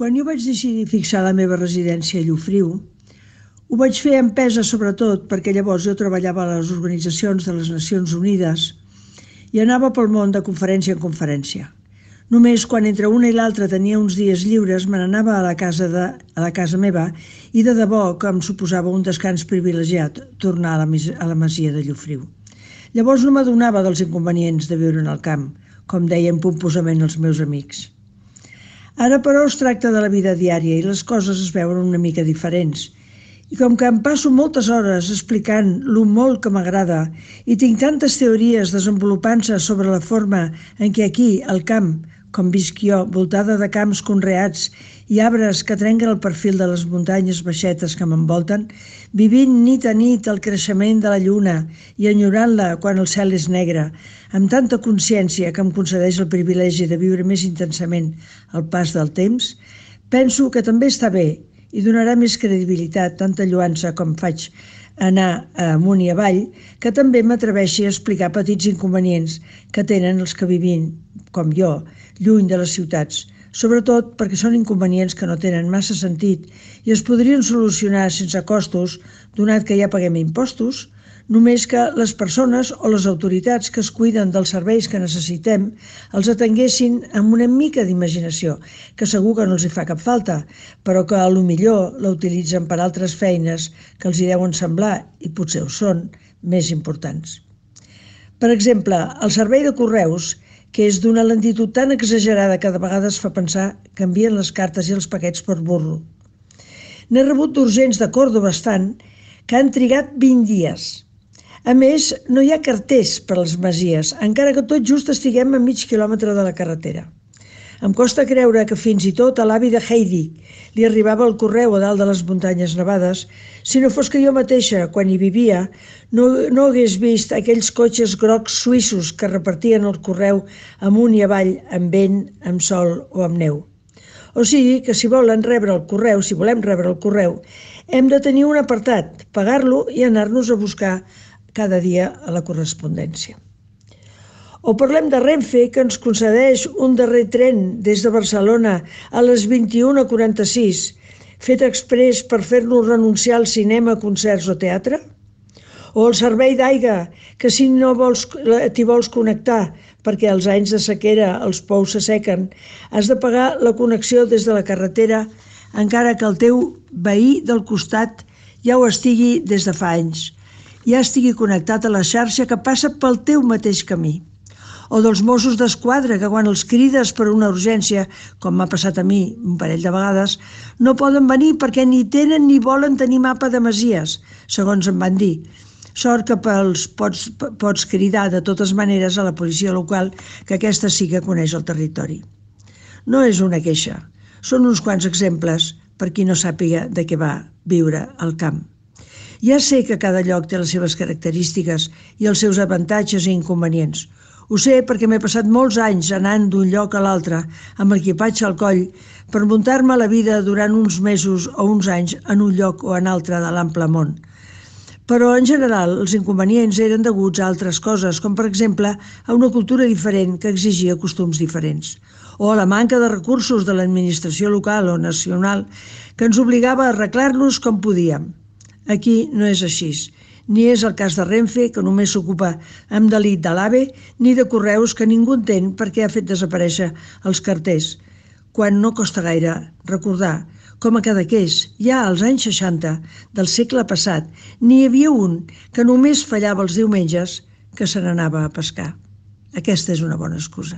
Quan jo vaig decidir fixar la meva residència a Llofriu, ho vaig fer empesa sobretot perquè llavors jo treballava a les organitzacions de les Nacions Unides i anava pel món de conferència en conferència. Només quan entre una i l'altra tenia uns dies lliures me n'anava a la casa meva i de debò que em suposava un descans privilegiat tornar a la masia de Llofriu. Llavors no m'adonava dels inconvenients de viure en el camp, com deien pomposament els meus amics. Ara, però, es tracta de la vida diària i les coses es veuen una mica diferents. I com que em passo moltes hores explicant lo molt que m'agrada i tinc tantes teories desenvolupant-se sobre la forma en què aquí, al camp, com visc jo, voltada de camps conreats i arbres que trenquen el perfil de les muntanyes baixetes que m'envolten, vivint nit a nit el creixement de la lluna i enyorant-la quan el cel és negre, amb tanta consciència que em concedeix el privilegi de viure més intensament el pas del temps, penso que també està bé i donarà més credibilitat tanta lloança com faig anar amunt i avall, que també m'atreveixi a explicar petits inconvenients que tenen els que vivim, com jo, lluny de les ciutats, sobretot perquè són inconvenients que no tenen massa sentit i es podrien solucionar sense costos, donat que ja paguem impostos, només que les persones o les autoritats que es cuiden dels serveis que necessitem els atenguessin amb una mica d'imaginació, que segur que no els hi fa cap falta, però que a lo millor la utilitzen per altres feines que els hi deuen semblar, i potser ho són, més importants. Per exemple, el servei de correus, que és d'una lentitud tan exagerada que de vegades fa pensar que envien les cartes i els paquets per burro. N'he rebut d'urgents de Còrdova estant que han trigat 20 dies. A més, no hi ha carters per a les masies, encara que tot just estiguem a mig quilòmetre de la carretera. Em costa creure que fins i tot a l'avi de Heidi li arribava el correu a dalt de les muntanyes nevades, si no fos que jo mateixa, quan hi vivia, no hagués vist aquells cotxes grocs suïssos que repartien el correu amunt i avall, amb vent, amb sol o amb neu. O sigui que si volem rebre el correu, hem de tenir un apartat, pagar-lo i anar-nos a buscar cada dia a la correspondència. O parlem de Renfe, que ens concedeix un darrer tren des de Barcelona a les 21:46, fet exprés per fer-nos renunciar al cinema, concerts o teatre? O el servei d'aigua, que si no t'hi vols connectar perquè als anys de sequera els pous s'assequen, has de pagar la connexió des de la carretera, encara que el teu veí del costat ja ho estigui des de fa anys, ja estigui connectat a la xarxa que passa pel teu mateix camí. O dels Mossos d'Esquadra, que quan els crides per una urgència, com m'ha passat a mi un parell de vegades, no poden venir perquè ni tenen ni volen tenir mapa de masies, segons em van dir. Sort que pots cridar de totes maneres a la policia local, que aquesta sí que coneix el territori. No és una queixa, són uns quants exemples per qui no sàpiga de què va viure al camp. Ja sé que cada lloc té les seves característiques i els seus avantatges i inconvenients. Ho sé perquè m'he passat molts anys anant d'un lloc a l'altre amb l'equipatge al coll per muntar-me la vida durant uns mesos o uns anys en un lloc o en altre de l'ample món. Però, en general, els inconvenients eren deguts a altres coses, com per exemple a una cultura diferent que exigia costums diferents, o a la manca de recursos de l'administració local o nacional que ens obligava a arreglar-nos com podíem. Aquí no és així. Ni és el cas de Renfe, que només s'ocupa amb delit de l'AVE, ni de Correus, que ningú entén perquè ha fet desaparèixer els carters, quan no costa gaire recordar com a Cadaqués, ja als anys 60 del segle passat, n'hi havia un que només fallava els diumenges que se n'anava a pescar. Aquesta és una bona excusa.